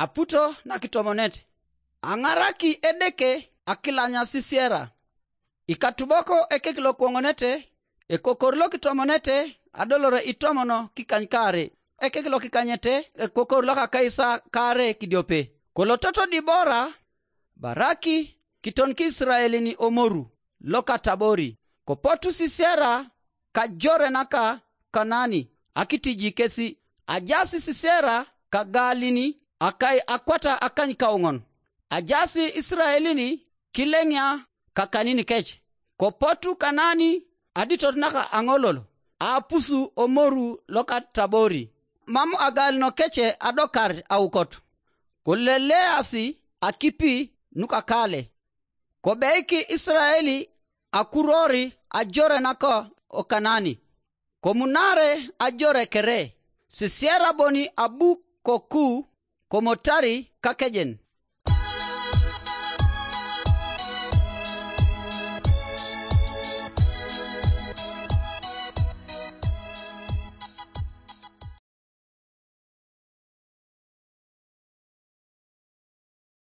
aputo na kitomonete ang'araki edeke akilanya sisiera ikatuboko ekekilo kuong'onete ekokorlo kitomonete adolore itomono kikanykare ekekilo kikanyete ekokorlo kakaisa kare kidiope kolototo dibora baraki kiton ki Israeli ni omoru loka tabori kopotu sisiera kajore naka Kanani akitiji kesi ajasi sisiera kagalini akai akwata akany kaungon ajasi Israelini kilengya kakanini kech kopotu Kanani aditot naka angololo apusu omoru loka tabori mamu agal no keche adokar aukot kulele asi akipi nuka kale kobeiki Israeli akurori ajore naka o Kanani komunare ajore kere sisiera boni abu koku komotari kakejen